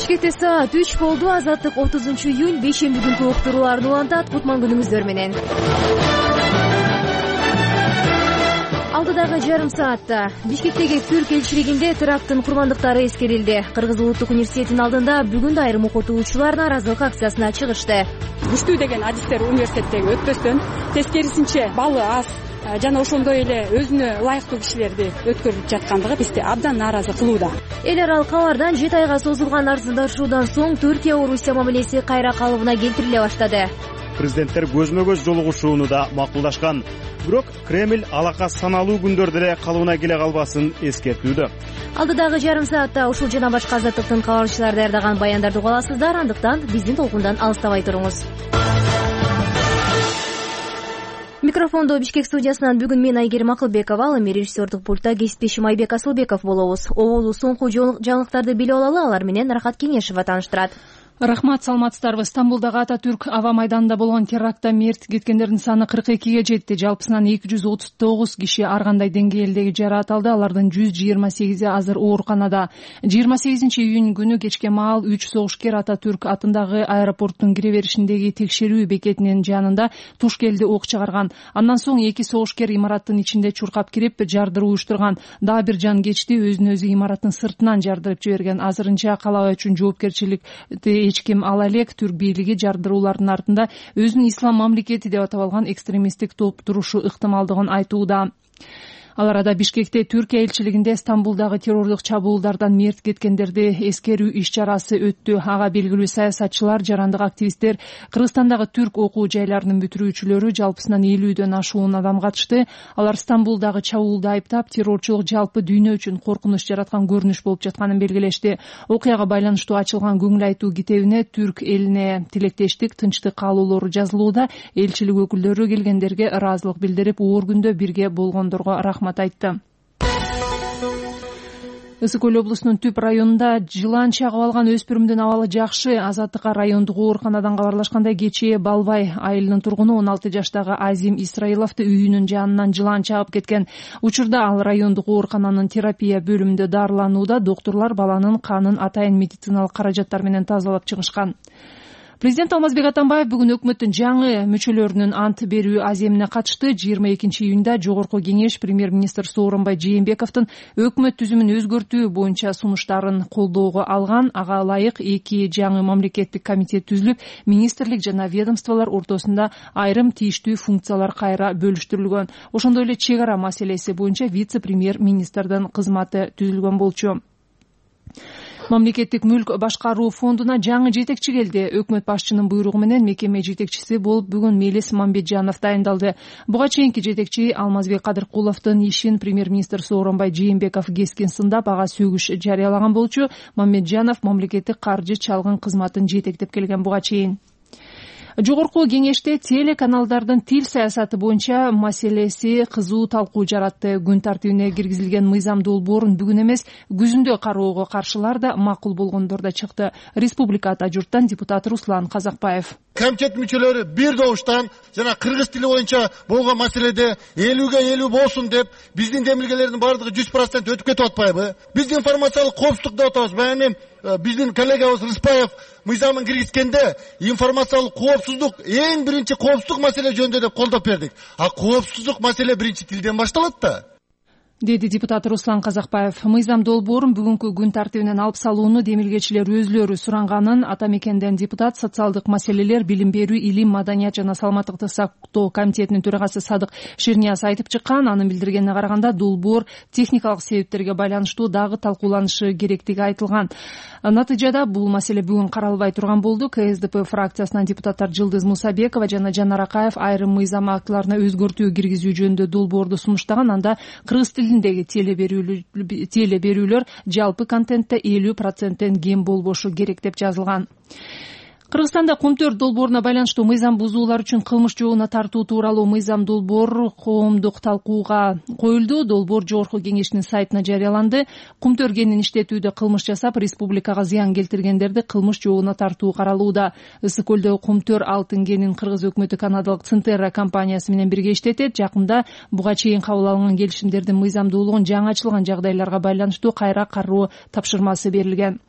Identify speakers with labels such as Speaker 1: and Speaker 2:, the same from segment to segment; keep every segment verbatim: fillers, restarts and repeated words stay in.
Speaker 1: Бишкекте саат үч болду. Азаттык отузунчу июнь бейшемби күнкү уктурууларын улантат. Кутман күнүңүздөр менен. Алдыдагы жарым саатта Бишкектеги Түрк элчилигинде теракттын курмандыктары эскерилди. Кыргыз улуттук университетинин алдында бүгүн да айрым окутуучулар нааразылык акциясына чыгышты.
Speaker 2: Күчтүү деген адистер университеттеги өтпөстөн, тескерисинче балы аз жана ошондой эле өзүнө ылайыктуу кишилерди өткөрүп жаткандыгы бизди абдан нааразы кылууда.
Speaker 1: Эл аралык кабардан жети айга созулган арзандашуудан соң Түркия Орусия мамилеси кайра калыбына келтириле баштады.
Speaker 3: Президенттер көзмө көз жолугушууну да макулдашкан. Бирок Кремль алака саналуу күндөрдө эле калыбына келе калбасын эскертүүдө.
Speaker 1: Алдыдагы жарым саатта ушул жана башка азаттыктын кабарчылары даярдаган баяндарды уга аласыздар. Андыктан биздин толкундан алыстабай туруңуз. Микрофондо Бишкек студиясынан бүгүн мен Айгерим Акылбекова, ал эми режиссердик пультта кесиптешим Айбек Асылбеков болобуз. Оболу соңку жаңылыктарды билип алалы, алар менен Рахат Кеңешева тааныштырат.
Speaker 4: Рахмат, саламатсыздарбы. Стамбулдагы Ататүрк аба майданында болгон терактта мерт кеткендердин саны кырк экиге жетти. Жалпысынан эки жүз отуз тогуз киши ар кандай деңгээлдеги жараат алды. Алардын жүз жыйырма сегизи азыр ооруканада. жыйырма сегизинчи июнь күнү кечке маал үч согушкер Ататүрк атындагы аэропорттун кире беришиндеги текшерүү бекетинин жанында туш келди ок чыгарган. Андан соң эки согушкер имараттын ичинде чуркап кирип жардыруу уюштурган. Дагы бир жан кечти өзүн өзү имараттын сыртынан жардырып жиберген. Азырынча калаа үчүн жоопкерчиликти эч ким ала элек. Түрк бийлиги жардыруулардын артында өзүнүн ислам мамлекети деп атап алган экстремисттик топ турушу ыктымалдыгын айтууда. Ал арада Бишкекте Түркия элчилигинде Стамбулдагы террорлук чабуулдардан мерт кеткендерди эскерүү иш-чарасы өттү. Ага белгилүү саясатчылар, жарандык активисттер, Кыргызстандагы түрк окуу жайларынын бүтүрүүчүлөрү жалпысынан элүүдөн ашуун адам катышты. Алар Стамбулдагы чабуулду айыптап, террорчулук жалпы дүйнө үчүн коркунуч жараткан көрүнүш болуп жатканын белгилешти. Окуяга байланыштуу ачылган көңүл айтуу китебине түрк элине тилектештик, тынчтык каалоолору жазылууда. Элчилик өкүлдөрү келгендерге ыраазылык билдирип, оор күндө бирге болгондорго рахмат айтты. Ысык Көл облусунун Түп районунда жылан чагып алган өспүрүмдүн абалы жакшы. Азаттыкка райондук ооруканадан кабарлашкандай, кечээ Балбай айылынын тургуну он алты жаштагы Азим Исраиловду үйүнүн жанынан жылан чагып кеткен. Учурда ал райондук оорукананын терапия бөлүмүндө дарыланууда. Доктурлар баланын канын атайын медициналык каражаттар менен тазалап чыгышкан. Президент Алмазбек Атамбаев бүгүн өкмөттүн жаңы мүчөлөрүнүн ант берүү аземине катышты. жыйырма экинчи июнда Жогорку Кеңеш премьер-министр Сооронбай Жээнбековдун өкмөт түзүмүн өзгөртүү боюнча сунуштарын колдоого алган. Ага ылайык эки жаңы мамлекеттик комитет түзүлүп, министрлик жана ведомстволор ортосунда айрым тийиштүү функциялар кайра бөлүштүрүлгөн. Ошондой эле чек ара маселеси боюнча вице-премьер-министрдин кызматы түзүлгөн болчу. Мамлекеттик мүлк башкаруу фондуна жаңы жетекчи келди. Өкмөт башчынын буйругу менен мекеме жетекчиси болуп бүгүн Мелис Мамбетжанов дайындалды. Буга чейинки жетекчи Алмазбек Кадыркуловдун ишин премьер-министр Сооронбай Жээнбеков кескин сындап, ага сөгүш жарыялаган болчу. Мамбетжанов мамлекеттик каржы чалгын кызматын жетектеп келген буга чейин. Жогорку Кеңеште телеканалдардын тил саясаты боюнча маселеси кызуу талкуу жаратты. Күн тартибине киргизилген мыйзам долбоорун бүгүн эмес, күзүндө кароого каршылар да, макул болгондор да чыкты. Республика ата журттан депутат Руслан Казакбаев.
Speaker 5: Комитет мүчөлөрү бир добуштан жана кыргыз тили боюнча болгон маселеде элүүгө элүү болсун деп, биздин демилгелердин баардыгы жүз процент өтүп кетип атпайбы? Биз информациялык коопсуздук деп атабыз. Баягы биздин коллегабыз Рыспаев мыйзамын киргизгенде информациялык коопсуздук эң биринчи коопсуздук маселе жөнүндө деп колдоп бердик. А коопсуздук маселе биринчи тилден башталат да, деди депутат Руслан Казакбаев. Мыйзам долбоорун бүгүнкү күн тартибинен алып салууну демилгечилер өзүлөрү суранганын ата мекенден депутат социалдык маселелер, билим берүү, илим, маданият жана саламаттыкты сактоо комитетинин төрагасы Садык Ширнияз айтып чыккан. Анын билдиргенине караганда, долбоор техникалык себептерге байланыштуу дагы талкууланышы керектиги айтылган. Натыйжада бул маселе бүгүн каралбай турган болду. КСДП фракциясынан депутаттар Жылдыз Мусабекова жана Жанар Акаев айрым мыйзам актыларына өзгөртүү киргизүү жөнүндө долбоорду сунуштаган. Анда кыргыз тилиндеги теле берүүлөр жалпы контентте элүү проценттен кем болбошу керек деп жазылган.
Speaker 4: Кыргызстанда Кумтөр долбооруна байланыштуу мыйзам бузуулар үчүн кылмыш жообуна тартуу тууралуу мыйзам долбоор коомдук талкууга коюлду. Долбоор Жогорку кеңештин сайтына жарыяланды. Кумтөр кенин иштетүүдө кылмыш жасап, республикага зыян келтиргендерди кылмыш жообуна тартуу каралууда. Ысык көлдөгү Кумтөр алтын кенин кыргыз өкмөтү канадалык Цинтерра компаниясы менен бирге иштетет. Жакында буга чейин кабыл алынган келишимдердин мыйзамдуулугун жаңычылган жагдайларга байланыштуу кайра кароо тапшырмасы берилген.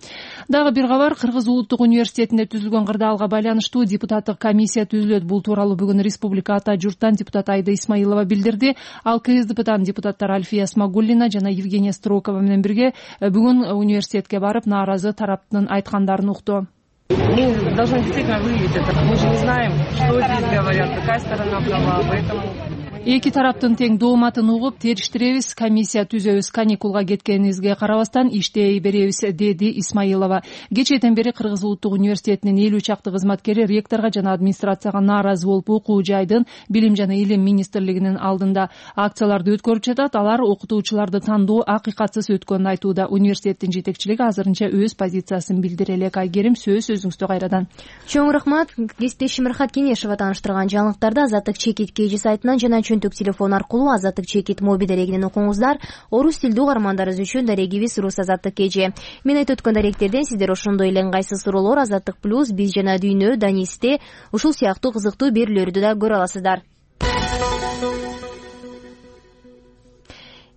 Speaker 4: Дагы бир кабар, Кыргыз улуттук университетинде түзүлгөн кырдаалга байланыштуу депутаттык комиссия түзүлөт. Бул тууралуу бүгүн Республика Ата журттан депутат Айда Исмаилова билдирди. Ал КСДПдан депутаттар Альфия Смагуллина жана Евгения Строкова менен бирге бүгүн университетке барып нааразы тараптын айткандарын укту.
Speaker 6: Мы должны действительно выявить это. Мы же не знаем, что здесь говорят, какая сторона права, поэтому...
Speaker 4: Эки тараптын тең дооматын угуп териштиребиз, комиссия түзөбүз, каникулга кеткенибизге карабастан иштей беребиз, деди Исмаилова. Кечээден бери Кыргыз улуттук университетинин элүү чакты кызматкери ректорго жана администрацияга нааразы болуп окуу жайдын Билим жана Илим министрлигинин алдында акцияларды өткөрүп жатат. Алар окутуучуларды тандоо акыйкатсыз өткөнүн айтууда. Университеттин жетекчилиги азырынча өз позициясын билдире элек. Айгерим, сөз өзүңүздө кайрадан.
Speaker 1: Чоң рахмат. Кесиптешим Рахат Кенешева тааныштырган жаңылыктарды Азаттык чекит кж сайтынан жана чөнтөк телефон аркылуу Азаттык чекит моби дарегинен окуңуздар. Орус тилдүү угармандарыбыз үчүн дарегибиз Рус Азаттык кж. Мен айтып өткөн даректерден сиздер ошондой эле ыңгайсыз суроолор Азаттык плюс, биз жана дүйнө, Данисте ушул сыяктуу кызыктуу берүүлөрдү да көрө аласыздар.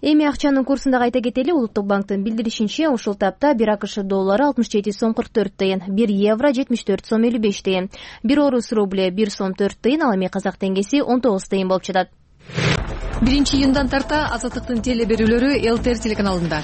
Speaker 1: Эми акчанын курсун да кайта кетели. Улуттук банктын билдиришинче, ушул тапта бир АКШ доллары алтымыш жети сом кырк төрт тыйын, бир евро жетимиш төрт сом элүү беш тыйын, бир орус рубле бир сом төрт тыйын, ал эми казак теңгеси он тогуз тыйын болуп жатат.
Speaker 7: биринчи июндан тарта Азаттыктын теле берүүлөрү ЛТР телеканалында.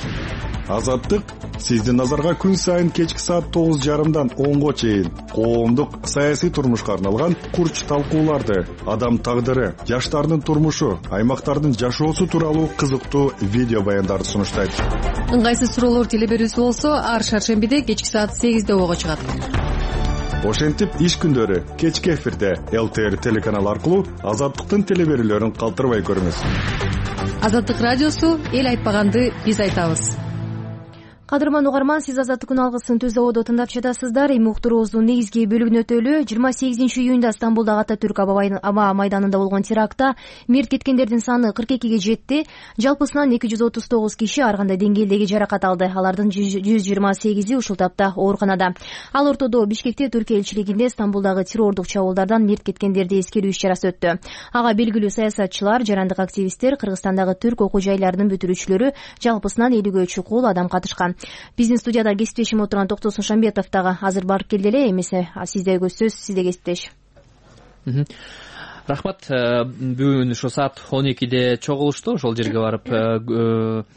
Speaker 8: Азаттык сиздин назарга күн сайын кечки саат тогуз жарымдан онго чейин коомдук саясий турмушка арналган курч талкууларды, адам тагдыры, жаштардын турмушу, аймактардын жашоосу тууралуу кызыктуу видео баяндарды сунуштайт.
Speaker 7: Ыңгайсыз суроолор теле берүүсү болсо, ар шаршембиде кечки саат сегизде ого чыгат.
Speaker 8: Ошентип иш күндөрү кечки эфирде ЛТР телеканалы аркылуу Азаттыктын теле берүүлөрүн калтырбай көрүңүз.
Speaker 7: Азаттык радиосу эл айтпаганды биз айтабыз.
Speaker 1: Кадырман угарман, сиз Азаттыктын алгысын Түз абада тыңдап жатасыздар. Эми уктуруубуздун негизги бөлүгүнө өтөлү. жыйырма сегизинчи июнда Стамбулдагы Ататүрк аба майданында болгон терактта мерт кеткендердин саны кырк экиге жетти. Жалпысынан эки жүз отуз тогуз киши ар кандай деңгээлдеги жаракат алды. Алардын жүз жыйырма сегизи ушул тапта ооруканада. Ал ортодо Бишкекте Түркия элчилигинде Стамбулдагы террордук чабуулдардан мерт кеткендерди эскерүү иш чарасы өттү. Ага белгилүү саясатчылар, жарандык активисттер, Кыргызстандагы түрк окуу жайларынын бүтүрүүчүлөрү, жалпысынан элүүгө чукул адам катышкан. Биздин студияда кесиптешим отурган Токтосун Шамбетов дагы азыр барып келди эле. Эмесе сиздеги сөз, сизде кесиптеш.
Speaker 9: Рахмат. Бүгүн ошо саат он экиде чогулушту. Ошол жерге барып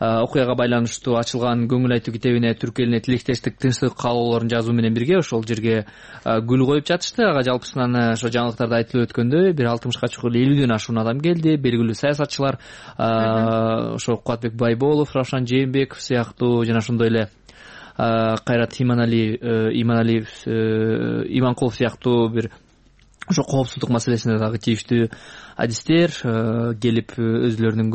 Speaker 9: окуяга байланыштуу ачылган көңүл айтуу китебине түрк элине тилектештик, тынчтык каалоолорун жазуу менен бирге ошол жерге гүл коюп жатышты. Ага жалпысынан ошо жаңылыктарда айтылып өткөндөй бир алтымышка чукул элүүдөн ашуун адам келди. Белгилүү саясатчылар, ошо Кубатбек Байболов, Равшан Жээнбеков сыяктуу жана ошондой эле Кайрат Иманалиев, Иманалиев, Иманкулов сыяктуу бир ошо коопсуздук маселесине дагы тийиштүү адистер келип өзүлөрүнүн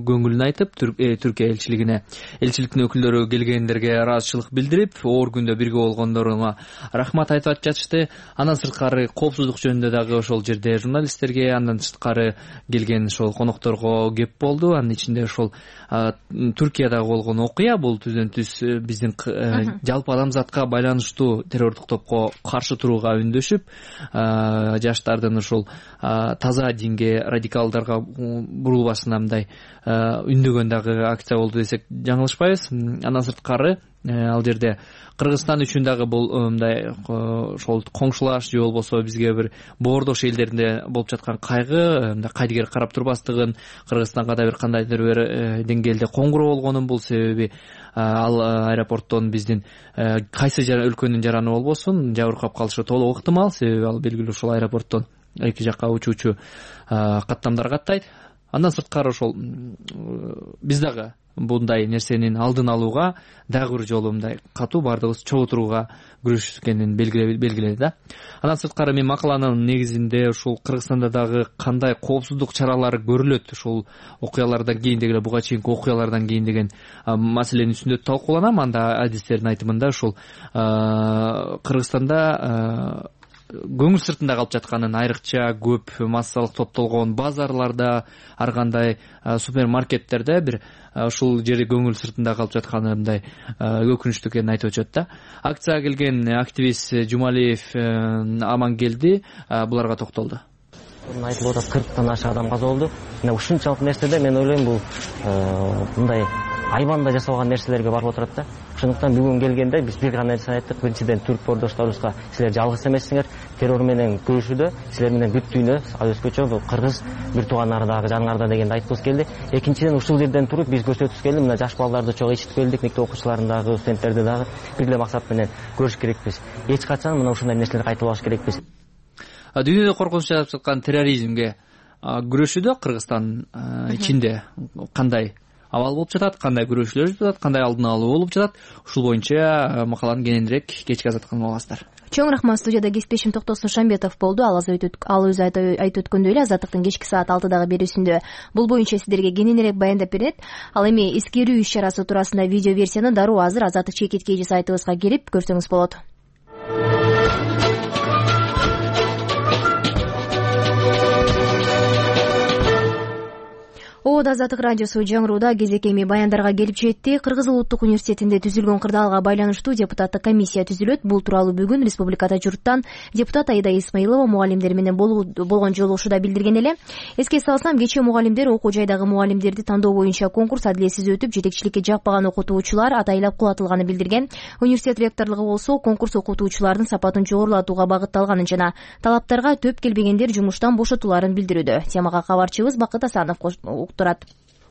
Speaker 9: көңүлүн айтып, Түркия элчилигине, элчиликтин өкүлдөрү келгендерге ыраазычылык билдирип, оор күндө бирге болгондоруна рахмат айтып жатышты. Андан сырткары коопсуздук жөнүндө дагы ошол жерде журналисттерге, андан сырткары келген ошол конокторго кеп болду. Анын ичинде ошол Түркиядагы болгон окуя, бул түздөн түз биздин жалпы адамзатка байланыштуу террордук топко каршы турууга үндөшүп, жаштардын ошол таза динге, радикалдарга бурулбасына мындай үндөгөн дагы акция болду десек жаңылышпайбыз. Андан сырткары ал жерде Кыргызстан үчүн дагы бул мындай ошол коңшулаш же болбосо бизге бир боордош элдеринде болуп жаткан кайгы, мындай кайдыгер карап турбастыгын, Кыргызстанга да бир кандайдыр бир деңгээлде коңгуроо болгонун, бул себеби ал аэропорттон биздин кайсы өлкөнүн жараны болбосун жабыркап калышы толук ыктымал. Себеби ал белгилүү ушул аэропорттон эки жакка учуучу каттамдар каттайт. Андан сырткары ошол биз дагы мындай нерсенин алдын алууга дагы бир жолу мындай катуу баардыгыбыз чогуу турууга күрөшкенин белгиледи да. Андан сырткары мен макаланын негизинде ушул Кыргызстанда дагы кандай коопсуздук чаралары көрүлөт ушул окуялардан кийин деген буга чейинки окуялардан кийин деген маселенин үстүндө талкууланам. Анда адистердин айтымында ушул Кыргызстанда көңүл сыртында калып жатканын, айрыкча көп массалык топтолгон базарларда, ар кандай супермаркеттерде бир ушул жери көңүл сыртында калып жатканы мындай өкүнүчтүү экенин айтып өтүшөт да. Акцияга келген активист Жумалиев Амангелди буларга токтолду.
Speaker 10: Айтылып атат, кырктан ашык адам каза болду. Мына ушунчалык нерседе мен ойлойм бул мындай айбанда жасалган нерселерге барып отурат да. Ошондуктан бүгүн келгенде биз бир гана нерсе айттык. Биринчиден түрк бордошторубузга силер жалгыз эмессиңер, террор менен күрөшүүдө силер менен бүт дүйнө өзгөчө бул кыргыз бир тууганнардагы жаныңарда дегенди айткыбыз келди. Экинчиден ушул жерден туруп биз көрсөткүбүз келди, мына жаш балдарды чогуу ичитип келдик, мектеп окуучуларын дагы, студенттерди дагы бир эле максат менен көрүш керекпиз. Эч качан мына ушундай нерселерди кайталабаш керекпиз.
Speaker 9: Дүйнөдө коркунуч жаратып жаткан терроризмге күрөшүүдө Кыргызстан ичинде кандай абал болуп жатат, кандай күрөшүүлөр жүрүп жатат, кандай алдын алуу болуп жатат, ушул боюнча макаланы кененирээк кечки азаттыкта аласыздар.
Speaker 1: Чоң рахмат. Студияда кесиптешим Токтосун Шамбетов болду. Ал өзү айтып өткөндөй эле азаттыктын кечки саат алтыдагы берүүсүндө бул боюнча сиздерге кененирээк баяндап берет. Ал эми эскерүү иш чарасы туурасында видео версияны дароо азыр Азаттык чекит кейжи сайтыбызга кирип көрсөңүз болот. О, Азаттык радиосу жаңырууда кезек эми баяндарга келип жетти. Кыргыз улуттук университетинде түзүлгөн кырдаалга байланыштуу депутаттык комиссия түзүлөт. Бул тууралуу бүгүн республикада журттан депутат Аида Исмаилова мугалимдер менен болгон жолугушууда билдирген эле. Эске салсам, кечээ мугалимдер окуу жайдагы мугалимдерди тандоо боюнча конкурс адилетсиз өтүп, жетекчиликке жакпаган окутуучулар атайлап кулатылганын билдирген. Университет ректорлугу болсо конкурс окутуучулардын сапатын жогорулатууга багытталганын жана талаптарга төп келбегендер жумуштан бошотуларын билдирүүдө. Темага кабарчыбыз Бакыт Асанов турат.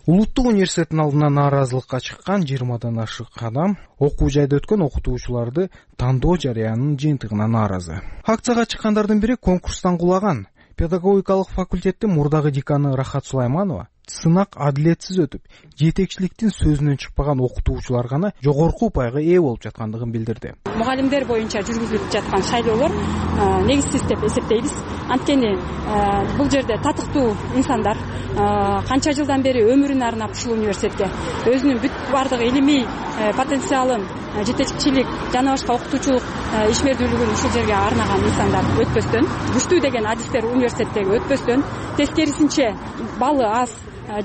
Speaker 11: Улуттук университеттин алдына нааразылыкка чыккан жыйырмадан ашык адам окуу жайда өткөн окутуучуларды тандоо жарыянын жыйынтыгына нааразы. Акцияга чыккандардын бири конкурстан кулаган. Педагогикалык факультеттин мурдагы деканы Рахат Сулайманова сынак адилетсиз өтүп, жетекчиликтин сөзүнөн чыкпаган окутуучулар гана жогорку упайга ээ болуп жаткандыгын билдирди.
Speaker 2: Мугалимдер боюнча жүргүзүлүп жаткан шайлоолор негизсиз деп эсептейбиз. Анткени бул жерде татыктуу инсандар канча жылдан бери өмүрүн арнап ушул университетке өзүнүн бүт бардык илимий потенциалын, жетекчилик жана башка окутуучулук ишмердүүлүгүн ушул жерге арнаган инсандар өтпөстөн, күчтүү деген адистер университеттеги өтпөстөн, тескерисинче балы аз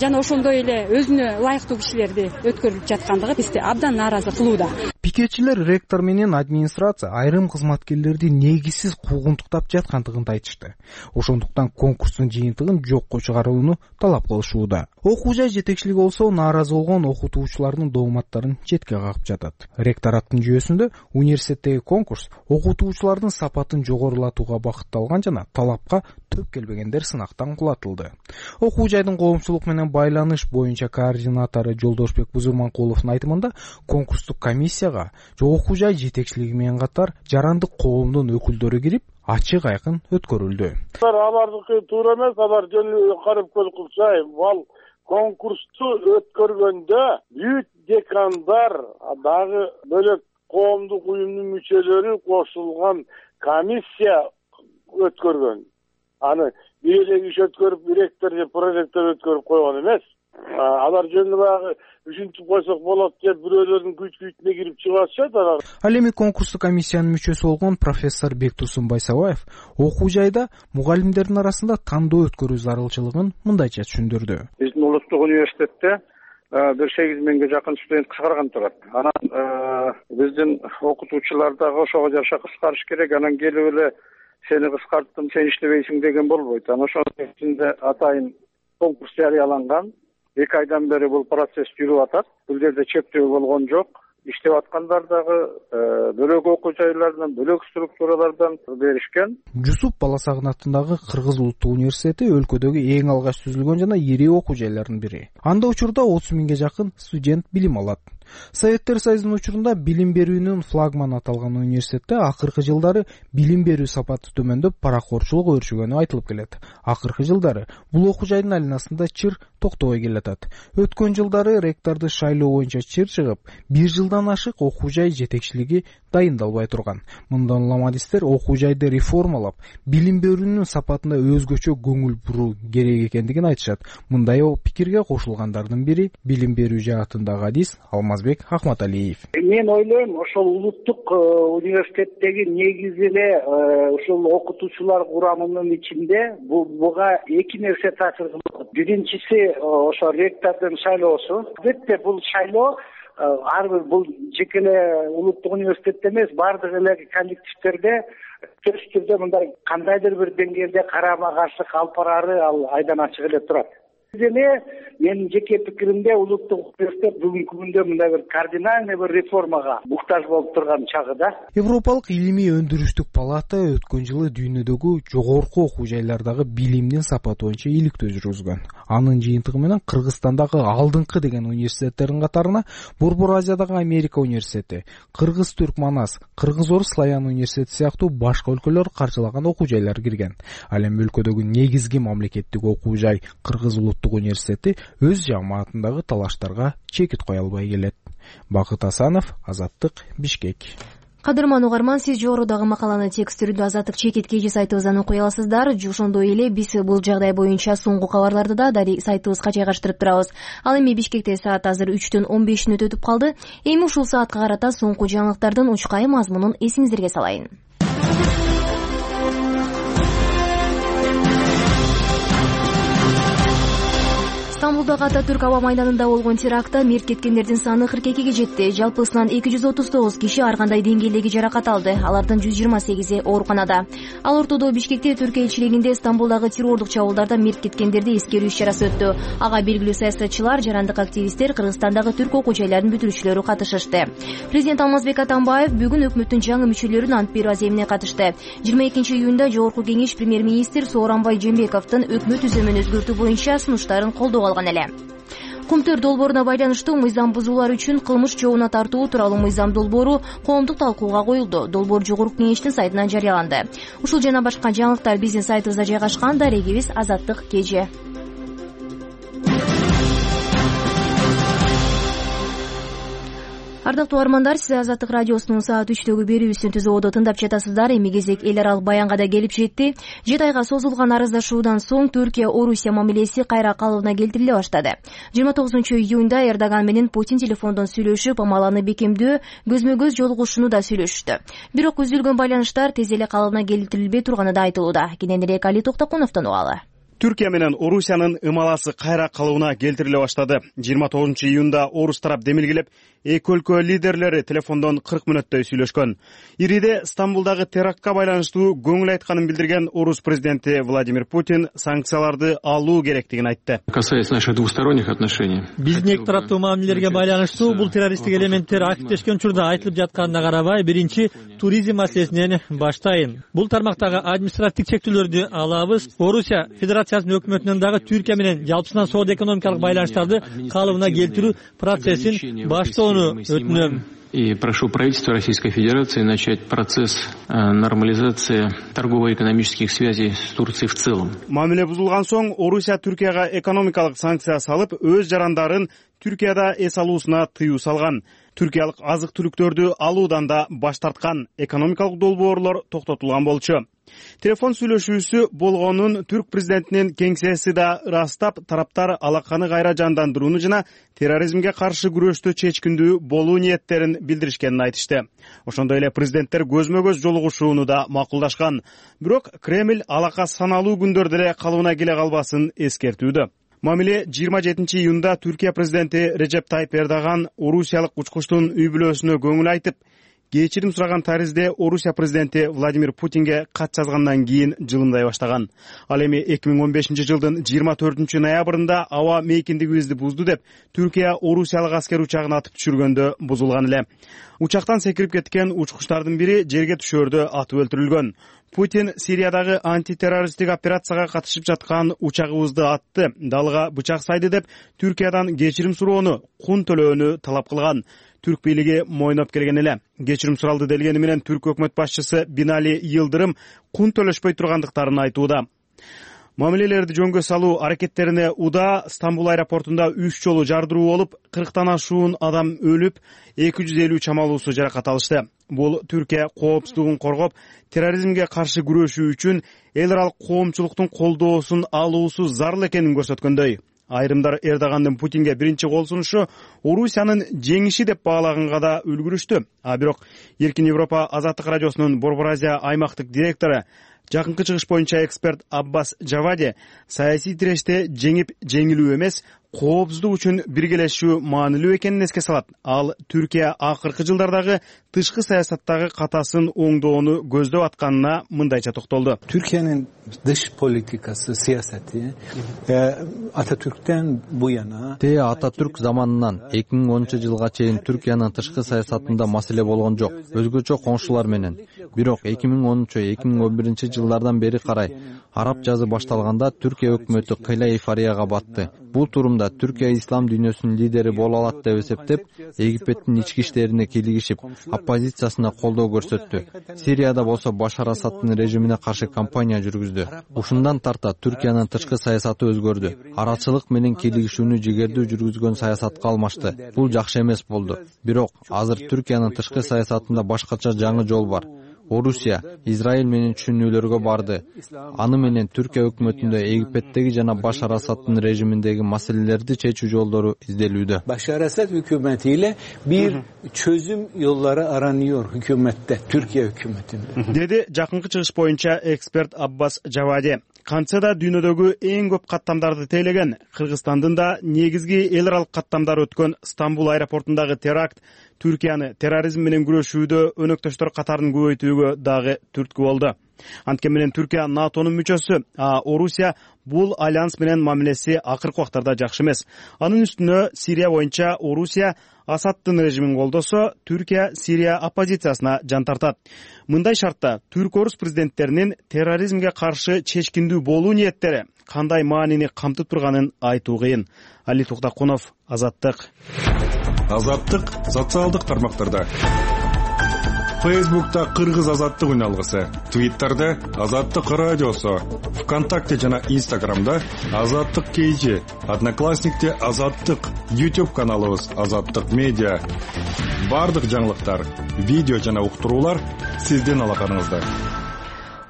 Speaker 2: жана ошондой эле өзүнө ылайыктуу кишилерди өткөрүлүп жаткандыгы бизди абдан нааразы кылууда.
Speaker 11: Пикетчилер ректор менен администрация айрым кызматкерлерди негизсиз куугунтуктап жаткандыгын айтышты. Ошондуктан конкурстун жыйынтыгын жокко чыгарууну талап кылышууда. Окуу жай жетекчилиги болсо нааразы болгон окутуучулардын дооматтарын четке кагып жатат. Ректораттын жүйөсүндө университеттеги конкурс окутуучулардын сапатын жогорулатууга багытталган жана талапка төп келбегендер сынактан кулатылды. Окуу жайдын коомчулук менен байланыш боюнча координатору Жолдошбек Бузурманкуловдун айтымында конкурстук комиссияга окуу жай жетекчилиги менен катар жарандык коомдун өкүлдөрү кирип, ачык айкын өткөрүлдү.
Speaker 12: Алардыкы туура эмес, алар жөн карап кылчай, ал конкурсту өткөргөндө бүт декандар дагы бөлөк коомдук уюмдун мүчөлөрү кошулган комиссия өткөргөн. Аны бир эле киши өткөрүп, ректор же проректор өткөрүп койгон эмес. Алар жөн баягы ушинтип койсок болот деп бирөөлөрдүн күч-күчүнө кирип чыгып атышат алар.
Speaker 11: Ал эми конкурстук комиссиянын мүчөсү болгон профессор Бектусун Байсабаев окуу жайда мугалимдердин арасында тандоо өткөрүү зарылчылыгын мындайча түшүндүрдү.
Speaker 12: Биздин улуттук университетте бир сегиз миңге жакын студент кыскарган турат. Анан биздин окутуучулар дагы ошого жараша кыскарыш керек. Анан келип эле сени кыскарттым, сен иштебейсиң деген болбойт. Анан ошонун ичинде атайын конкурс жарыяланган. Эки айдан бери бул процесс жүрүп атат. Бул жерде чектөө болгон жок. Иштеп аткандар дагы бөлөк окуу жайлардан, бөлөк структуралардан беришкен.
Speaker 11: Жусуп Баласагын атындагы Кыргыз улуттук университети өлкөдөгү эң алгач түзүлгөн жана ири окуу жайлардын бири. Анда учурда отуз миңге жакын студент билим алат. Советтер Союзунун учурунда билим берүүнүн флагманы аталган университетте акыркы жылдары билим берүү сапаты төмөндөп, паракорчулук өршүгөнү айтылып келет. Акыркы жылдары бул окуу жайдын айланасында чыр токтобой келатат. Өткөн жылдары ректорду шайлоо боюнча чыр чыгып, бир жылдан ашык окуу жай жетекчилиги дайындалбай турган. Мындан улам адистер окуу жайды реформалап, билим берүүнүн сапатына өзгөчө көңүл буруу керек экендигин айтышат. Мындай пикирге кошулгандардын бири билим берүү жаатындагы адис Алмазбек Ахматалиев.
Speaker 13: Мен ойлойм, ошол улуттук университеттеги негизи эле ушул окутуучулар курамынын ичинде буга эки нерсе таасир кылат. Биринчиси ошо ректордун шайлоосу. Албетте бул шайлоо ар бир бул жеке эле улуттук университетте эмес, баардык эле коллективдерде төз түрдө мындай кандайдыр бир деңгээлде карама каршылык алып бараары ал айдан ачык эле турат. Деле менин жеке пикиримде улуттук университет бүгүнкү күндө мындай бир кардинальный бир реформага муктаж болуп турган чагы да.
Speaker 11: Европалык илимий өндүрүштүк палата өткөн жылы дүйнөдөгү жогорку окуу жайлардагы билимдин сапаты боюнча иликтөө жүргүзгөн. Анын жыйынтыгы менен Кыргызстандагы алдыңкы деген университеттердин катарына Борбор Азиядагы Америка университети, Кыргыз-Түрк Манас, Кыргыз-Орус Славян университети сыяктуу башка өлкөлөр каржылаган окуу жайлар кирген. Ал эми өлкөдөгү негизги мамлекеттик окуу жай Кыргыз улуттук университети өз жамаатындагы талаштарга чекит кое албай келет. Бакыт Асанов, Азаттык, Бишкек.
Speaker 1: Кадырман угарман, сиз жогорудагы макаланы текст түрүндө Азаттык чекит кеже сайтыбыздан окуй аласыздар. Ошондой эле биз бул жагдай боюнча соңку кабарларды да дари сайтыбызга жайгаштырып турабыз. Ал эми Бишкекте саат азыр үчтөн он беш мүнөт өтүп калды. Эми ушул саатка карата соңку жаңылыктардын учкай мазмунун эсиңиздерге салайын. Стамбулдагы Ататүрк аба майданында болгон терактта мерт кеткендердин саны кырк экиге жетти. Жалпысынан эки жүз отуз тогуз киши ар кандай деңгээлдеги жаракат алды. Алардын жүз жыйырма сегизи ооруканада. Ал ортодо Бишкекте Түркия элчилигинде Стамбулдагы террордук чабуулдарда мерт кеткендерди эскерүү иш-чарасы өттү. Ага белгилүү саясатчылар, жарандык активисттер, Кыргызстандагы түрк окуу жайларынын бүтүрүүчүлөрү катышышты. Президент Алмазбек Атамбаев бүгүн өкмөттүн жаңы мүчөлөрүн ант берүү аземине катышты. жыйырма экинчи июнда Жогорку кеңеш премьер-министр Сооронбай Жээнбековдун өкмөт түзүмүн өзгөртүү боюнча сунуштарын колдоого алган эле. Кумтөр долбооруна байланыштуу мыйзам бузуулар үчүн кылмыш жообуна тартуу тууралуу мыйзам долбоору коомдук талкууга коюлду. Долбоор Жогорку кеңештин сайтынан жарыяланды. Ушул жана башка жаңылыктар биздин сайтыбызда жайгашкан. Дарегибиз Азаттык кеже. Ардактуу угармандар, сиз Азаттык радиосунун саат үчтөгү берүүсүн Түз ободо тыңдап жатасыздар. Эми кезек эл аралык баянга да келип жетти. жети айга созулган арыздашуудан соң Түркия Орусия мамилеси кайра калыбына келтириле баштады. жыйырма тогузунчу июнда Эрдоган менен Путин телефондон сүйлөшүп, амаланы бекемдөө, көзмө көз жолугушууну да сүйлөшүштү. Бирок үзүлгөн байланыштар тез эле калыбына келтирилбей турганы да айтылууда. Кененирээк Али Токтокуновдон угалы.
Speaker 3: Түркия менен Орусиянын ымаласы кайра калыбына келтириле баштады. жыйырма тогузунчу июнда Орус тарап демилгелеп, эки өлкө лидерлери телефондон кырк мүнөттөй сүйлөшкөн. Ириде Стамбулдагы терактка байланыштуу көңүл айтканын билдирген Орус президенти Владимир Путин санкцияларды алуу керектигин айтты.
Speaker 14: Касается наших двусторонних отношений.
Speaker 15: Биздин эки тараптуу мамилелерге байланыштуу бул террористтик элементтер активдешкен учурда айтылып жатканына карабай, биринчи туризм маселесинен баштайын. Бул тармактагы административдик чектөөлөрдү алабыз. Орусия Федерациясынын өкмөтүнөн дагы Түркия менен жалпысынан соода экономикалык байланыштарды калыбына келтирүү процессин баштоону өтүнөм.
Speaker 14: И прошу правительства Российской Федерации начать процесс нормализации торгово-экономических связей с Турцией в целом.
Speaker 3: Мамиле бузулган соң Орусия Түркияга экономикалык санкция салып, өз жарандарын Түркияда эс алуусуна тыюу салган. Түркиялык азык-түлүктөрдү алуудан да баш тарткан. Экономикалык долбоорлор токтотулган болчу. Телефон сүйлөшүүсү болгонун түрк президентинин кеңсеси да ырастап, тараптар алаканы кайра жандандырууну жана терроризмге каршы күрөштү чечкиндүү болуу ниеттерин билдиришкенин айтышты. Ошондой эле президенттер көзмө көз жолугушууну да макулдашкан. Бирок Кремль алака саналуу күндөрдө эле калыбына келе калбасын эскертүүдө. Мамиле жыйырма жетинчи июнда Түркия президенти Режеп Тайип Эрдоган орусиялык учкучтун үй бүлөсүнө көңүл айтып, кечирим сураган таризде Орусия президенти Владимир Путинге кат жазгандан кийин жылымдай баштаган. Ал эми эки миң он бешинчи жылдын жыйырма төртүнчү ноябрында аба мейкиндигибизди бузду деп Түркия орусиялык аскер учагын атып түшүргөндө бузулган эле. Учактан секирип кеткен учкучтардын бири жерге түшөөрдө атып өлтүрүлгөн. Путин Сириядагы антитеррористтик операцияга катышып жаткан учагыбызды атты, далга бычак сайды деп Түркиядан кечирим суроону, кун төлөөнү талап кылган. Түрк бийлиги мойноп келген эле. Кечирим суралды делгени менен түрк өкмөт башчысы Бинали Йылдырым кун төлөшпөй тургандыктарын айтууда. Мамилелерди жөнгө салуу аракеттерине уда Стамбул аэропортунда үч жолу жардыруу болуп, кырктан ашуун адам өлүп, эки жүз элүү чамалуусу жаракат алышты. Бул Түркия коопсуздугун коргоп, терроризмге каршы күрөшүү үчүн эл аралык коомчулуктун колдоосун алуусу зарыл экенин көрсөткөндөй. Айрымдар Эрдогандын Путинге биринчи кол сунушу Орусиянын жеңиши деп баалаганга да үлгүрүштү. А бирок Эркин Европа Азаттык радиосунун Борбор Азия аймактык директору, жакынкы чыгыш боюнча эксперт Аббас Жавади саясий тиреште жеңип жеңилүү эмес, коопсуздук үчүн биргелешүү маанилүү экенин эске салат. Ал Түркия акыркы жылдардагы тышкы саясаттагы катасын оңдоону көздөп атканына мындайча токтолду.
Speaker 16: Türkiye'nin dış politikası, siyaseti Atatürk'ten bu yana
Speaker 17: Те Ататүрк заманынан эки миң онунчу жылга чейин Түркиянын тышкы саясатында маселе болгон жок, өзгөчө коңшулар менен. Бирок эки миң онунчу эки миң он биринчи жылдардан бери карай араб жазы башталганда Түркия өкмөтү кыйла эйфорияга батты. Бул турумда Түркия ислам дүйнөсүнүн лидери боло алат деп эсептеп, Египеттин ички иштерине кийлигишип, оппозициясына колдоо көрсөттү. Сирияда болсо Башар Асадтын режимине каршы кампания жүргүздү. Ушундан тарта Түркиянын тышкы саясаты өзгөрдү. Арачылык менен кийлигишүүнү жигердүү жүргүзгөн саясатка алмашты. Бул жакшы эмес болду. Бирок азыр Түркиянын тышкы саясатында башкача жаңы жол бар. Орусия Израиль менен түшүнүүлөргө барды. Аны менен Түркия өкмөтүндө Египеттеги жана Башар Асадтын режиминдеги маселелерди чечүү жолдору изделүүдө.
Speaker 16: Bashar Asad hükümetiyle bir çözüm yolları aranıyor hükümette, Türkiye hükümetinde.
Speaker 3: Dedi жакынкы чыгыш боюнча эксперт Аббас Жавади. Кантса да дүйнөдөгү эң көп каттамдарды тейлеген Кыргызстандын да негизги эл аралык каттамдары өткөн Стамбул аэропортундагы теракт Түркияны терроризм менен күрөшүүдө өнөктөштөр катарын көбөйтүүгө дагы түрткү болду. Анткени менен Түркия НАТОнун мүчөсү, а Орусия бул альянс менен мамилеси акыркы убактарда жакшы эмес. Анын үстүнө Сирия боюнча Орусия Асадтын режимин колдосо, Түркия Сирия оппозициясына жан тартат. Мындай шартта түрк-орус президенттеринин терроризмге каршы чечкиндүү болуу ниеттери кандай маанини камтып турганын айтуу кыйын. Али Туктакунов, Азаттык.
Speaker 8: Азаттык социалдык тармактарда. Фейсбукта Кыргыз Азаттык үналгысы, Твиттерде Азаттык радиосу, ВКонтакте жана Инстаграмда Азаттык кейжи, Одноклассникте Азаттык, YouTube каналыбыз Азаттык медиа. Бардык жаңылыктар, видео жана уктуруулар сиздин алаканыңызда.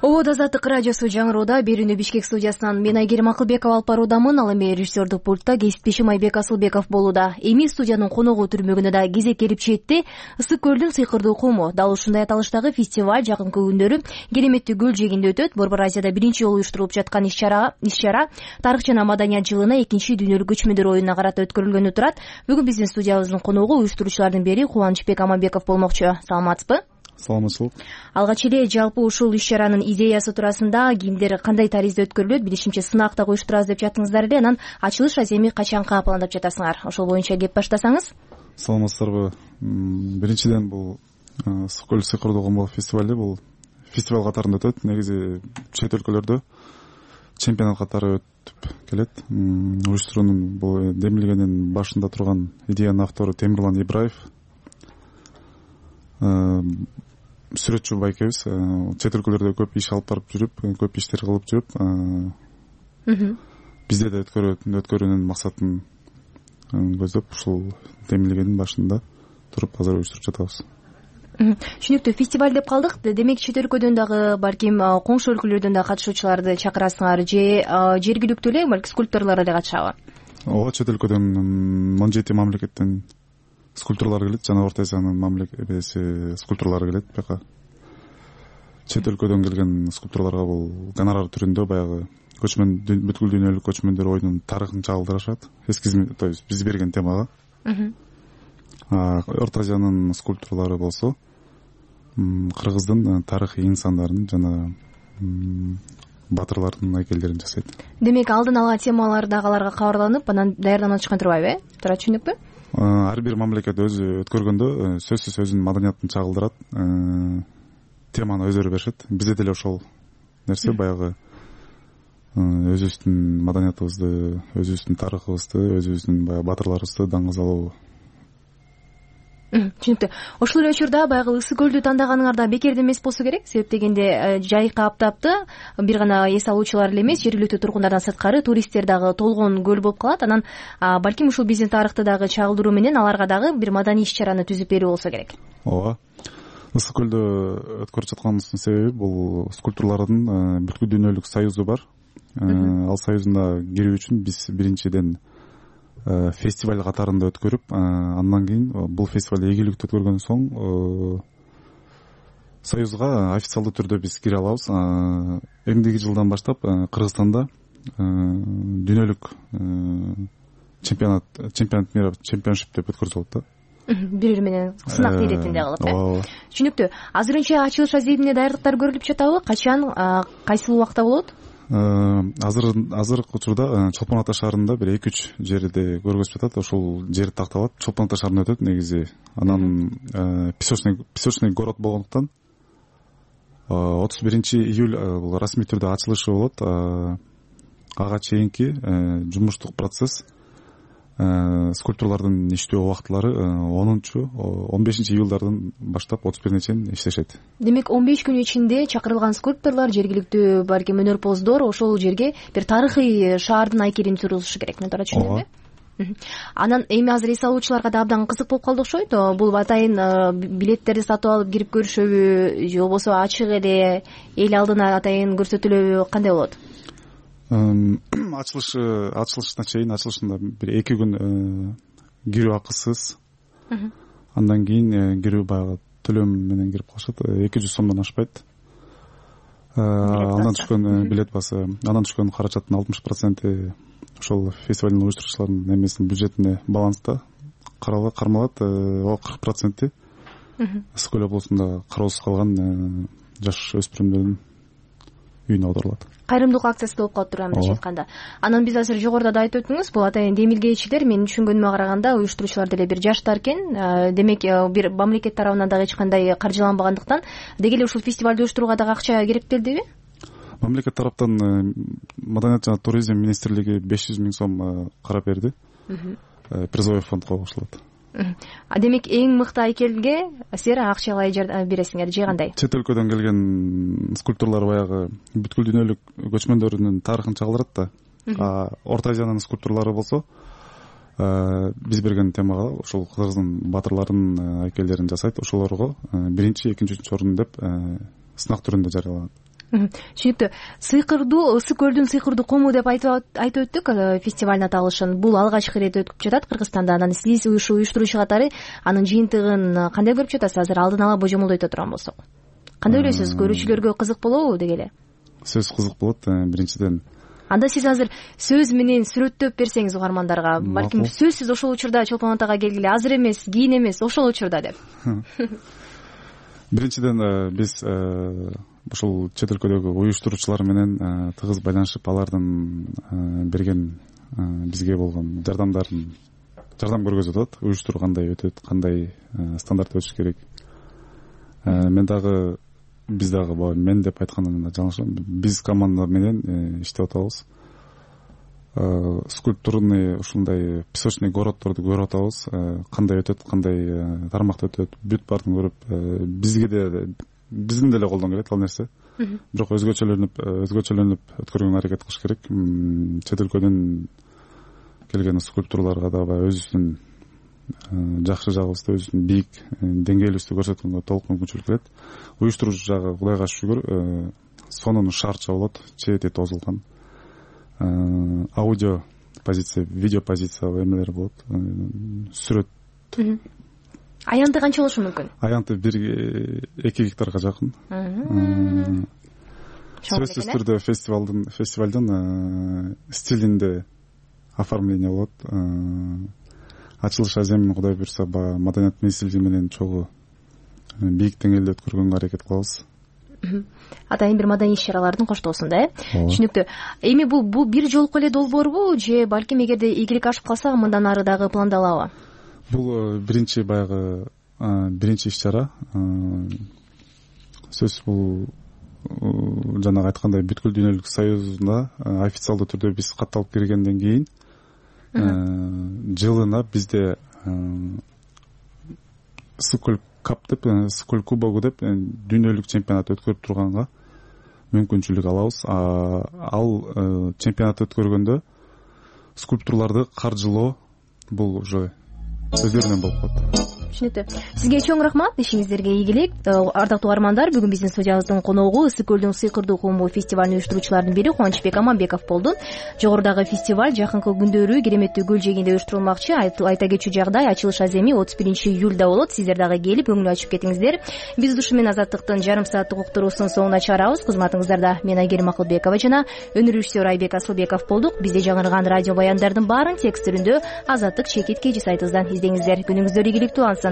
Speaker 1: Обод Азаттык радиосу жаңыроодо берүүнү Бишкек студиясынан мен Айгерим Акылбекова алып баруудамын. Ал эми режиссердук пультта кесиптешим Айбек Асылбеков болууда. Эми студиянын коногу түрмөгүнө да кезек келип жетти. Ысык көлдүн сыйкырдуу куму дал ушундай аталыштагы фестиваль жакынкы күндөрү кереметтүү көл жээгинде өтөт. Борбор Азияда биринчи жолу уюштурулуп жаткан иш-чара иш-чара тарых жана маданият жылына экинчи дүйнөлүк көчмөндөр оюнуна карата өткөрүлгөнү турат. Бүгүн биздин студиябыздын коногу уюштуруучулардын бири Кубанычбек Аманбеков болмокчу. Саламатсызбы?
Speaker 18: Саламатчылык.
Speaker 1: Алгач эле жалпы ушул иш-чаранын идеясы туурасында кимдер кандай таризде өткөрүлөт, билишимче сынак да коюштурабыз деп жаттыңыздар эле. Анан ачылыш аземи качанка пландап жатасыңар? Ошол боюнча кеп баштасаңыз.
Speaker 18: Саламатсыздарбы. Биринчиден бул Ысык көл сыйкырдуу куму фестивали бул фестиваль катарында өтөт. Негизи чет өлкөлөрдө чемпионат катары өтүп келет. Уюштуруунун бул демилгенин башында турган идеянын автору Темирлан Ибраев. Сүрөтчү байкебиз, чет өлкөлөрдө көп иш алып барып жүрүп, көп иштер кылып жүрүп, бизде да өткөрүүнүн максатын көздөп ушул демилгенин башында туруп азыр уюштуруп жатабыз.
Speaker 1: Түшүнүктүү. Фестиваль деп калдык. Демек чет өлкөдөн дагы балким коңшу өлкөлөрдөн да катышуучуларды чакырасыңар же жергиликтүү эле балки скульпторлор эле катышабы?
Speaker 18: Ооба, чет өлкөдөн он жети мамлекеттен скульпторлор келет, жана Орто Азиянын мамлекети скульпторлору келет. Бияка чет өлкөдөн келген скульпторлорго бул гонорар түрүндө баягы көчмөн бүткүл дүйнөлүк көчмөндөр оюнунун тарыхын чагылдырышат. Эскизме, то есть биз берген темага. Орто Азиянын скульпторлору болсо кыргыздын тарыхый инсандарын жана баатырлардын айкелдерин жасайт.
Speaker 1: Демек алдын ала темалар дагы аларга кабарланып анан даярданып чыккан турбайбы, э? Туура түшүндүкпү?
Speaker 18: Ар бир мамлекет өзү өткөргөндө сөзсүз өзүнүн маданиятын чагылдырат, теманы өздөрү беришет. Бизде деле ошол нерсе баягы өзүбүздүн маданиятыбызды, өзүбүздүн тарыхыбызды, өзүбүздүн баягы баатырларыбызды даңгызалоо.
Speaker 1: Түшүнүктүү. Ошол эле учурда баягы Ысык көлдү тандаганыңар да бекерде эмес болсо керек. Себеп дегенде жайкы аптапты бир гана эс алуучулар эле эмес, жергиликтүү тургундардан сырткары туристтер дагы толгон көл болуп калат. Анан балким ушул биздин тарыхты дагы чагылдыруу менен аларга дагы бир маданий иш-чараны түзүп берүү болсо керек.
Speaker 18: Ооба. Ысык көлдө өткөрүп жатканыбыздын себеби бул скульпторлордун бүткүл дүйнөлүк союзу бар. Ал союзуна кирүү үчүн биз биринчиден фестиваль катарында өткөрүп, андан кийин бул фестиваль ийгиликтүү өткөргөндөн соң союзга официалдуу түрдө биз кире алабыз. Эмдиги жылдан баштап Кыргызстанда дүйнөлүк чемпионат, чемпионат мира, чемпионшип деп өткөрүлөт да.
Speaker 1: Бири-бири менен сынак иретинде кылып, э? Түшүнүктүү. Азырынча ачылыш разъединде даярдыктар көрүлүп жатабы? Качан, кайсыл убакта болот?
Speaker 18: Азыр азыркы учурда Чолпон Ата шаарында бир эки үч жерде көргөзүп жатат. Ошол жер такталат. Чолпон Ата шаарында өтөт негизи. Анан песочный песочный город болгондуктан отуз биринчи июль бул расмий түрдө ачылышы болот. Ага чейинки жумуштук процесс, скульпторлордун иштөө убактылары онунчу он бешинчи июлдардан баштап отуз бирине чейин иштешет.
Speaker 1: Демек он беш күн ичинде чакырылган скульпторлор, жергиликтүү балким өнөрпоздор ошол жерге бир тарыхый шаардын айкелин тургузушу керек. Мен туура түшүндүмбү? Анан эми азыр эс алуучуларга да абдан кызык болуп калды окшойт. Бул атайын билеттерди сатып алып кирип көрүшөбү же болбосо ачык эле эл алдына атайын көрсөтүлөбү, кандай болот?
Speaker 18: Ачылышы ачылышына чейин, ачылышында бир эки күн кирүү акысыз. Андан кийин кирүү баягы төлөм менен кирип калышат. эки жүз сомдон ашпайт. Андан түшкөн билет басы, андан түшкөн каражаттын алтымыш проценти ошол фестивалдын уюштуруучуларынын эмесинин бюджетине баланста кармалат. Ал кырк проценти Ысык көл облусунда кароосуз калган жаш өспүрүмдөрдүн үйүнө аударылат.
Speaker 1: Кайрымдуулук акциясы болуп калып турган мындайча айтканда. Анан биз азыр жогоруда да айтып өттүңүз, бул атайын демилгейчилер, менин түшүнгөнүмө караганда уюштуруучулар деле бир жаштар экен. Демек бир мамлекет тарабынан дагы эч кандай каржыланбагандыктан деги эле ушул фестивалды уюштурууга дагы акча керектелдиби?
Speaker 18: Мамлекет тараптан Маданият жана туризм министрлиги беш жүз миң сом карап берди. Призовой фондко кошулат.
Speaker 1: Демек эң мыкты айкелге силер акчалай бересиңер же кандай?
Speaker 18: Чет өлкөдөн келген скульпторлор баягы бүткүл дүйнөлүк көчмөндөрүнүн тарыхын чагылдырат да. Орто Азиянын скульпторлору болсо биз берген темага ошол Кыргыздын баатырларынын айкелдерин жасайт. Ошолорго биринчи, экинчи, үчүнчү орун деп сынак түрүндө жарыяланат.
Speaker 1: Түшүнүктүү. Сыйкырдуу, Ысык көлдүн сыйкырдуу кому деп айтып өттүк фестивалдын аталышын. Бул алгачкы ирет өтүп жатат Кыргызстанда. Анан сиз уюштуруучу катары анын жыйынтыгын кандай көрүп жатасыз? Азыр алдын ала божомолдойто турган болсок. Кандай ойлойсуз? Көрүүчүлөргө кызык болобу деги эле?
Speaker 18: Сөз кызык болот. Биринчиден
Speaker 1: анда сиз азыр сөз менен сүрөттөп берсеңиз угармандарга, балким сөзсүз ошол учурда Чолпон Атага келгиле, азыр эмес, кийин эмес, ошол учурда деп.
Speaker 18: Биринчиден биз ушул чет өлкөдөгү уюштуруучулар менен тыгыз байланышып, алардын берген бизге болгон жардамдарын жардам көргөзүп атат. Уюштуруу кандай өтөт, кандай стандарт өтүш керек. Мен дагы биз дагы мен деп айтканымда жаңылышам. Биз команда менен иштеп атабыз. Скульптурный ушундай песочный городдорду көрүп атабыз. Кандай өтөт, кандай тармакта өтөт, бүт баарын көрүп, бизге де биздин деле колдон келет ал нерсе. Бирок өзгөчөлөнүп, өзгөчөлөнүп өткөргөнгө аракет кылыш керек. Чет өлкөдөн келген скульптурларга да өзүбүздүн жакшы жагыбызды, өзүбүздүн бийик деңгээлибизди көрсөткөнгө толук мүмкүнчүлүк берет. Уюштуруучу жагы Кудайга шүгүр сонун шартча болот, чети тозулган. Аудио позиция, видео позиция эмелер болот. Сүрөт.
Speaker 1: Аянты канча болушу мүмкүн?
Speaker 18: Аянты бир эки гектарга жакын. Сөзсүз түрдө фестивалдын фестивалдын стилинде оформление болот. Ачылыш аземин Кудай буйрса Маданият министрлиги менен чогуу бийик деңгээлде өткөргөнгө аракет кылабыз.
Speaker 1: Атайын бир маданий иш чаралардын коштоосунда э түшүнүктүү. Эми бул бул бир жолку эле долбоорбу же балким эгерде ийгилик ашып калса мындан ары дагы пландалабы?
Speaker 18: Бул биринчи баягы биринчи иш чара. Сөзсүз бул жанагы айткандай бүткүл дүйнөлүк союзуна официалдуу түрдө биз катталып киргенден кийин жылына бизде Сколь кап деп, Сколь кубогу деп дүйнөлүк чемпионат өткөрүп турганга мүмкүнчүлүк алабыз. Ал чемпионат өткөргөндө скульптурларды каржылоо бул уже өздөрүнөн болуп калат.
Speaker 1: Түшүнүктүү. Сизге чоң рахмат, ишиңиздерге ийгилик. Ардактуу угармандар, бүгүн биздин студиябыздын коногу Ысык көлдүн сыйкырдуу куму фестивалын уюштуруучулардын бири Кубанычбек Аманбеков болду. Жогорудагы фестиваль жакынкы күндөрү Кереметтүү көл жээгинде уюштурулмакчы. Айта кетчү жагдай, ачылыш аземи отуз биринчи июлда болот. Сиздер дагы келип көңүл ачып кетиңиздер. Биз ушу менен Азаттыктын жарым сааттык уктуруусунун соңуна чыгарабыз. Кызматыңыздарда мен Айгерим Акылбекова жана өнөр режиссеру Айбек Асылбеков болдук. Бизде жаңырган радио баяндардын баарын текст түрүндө Азаттык чекит кж сайтыбыздан издеңиздер. Күнүңүздөр ийгиликтүү алсын.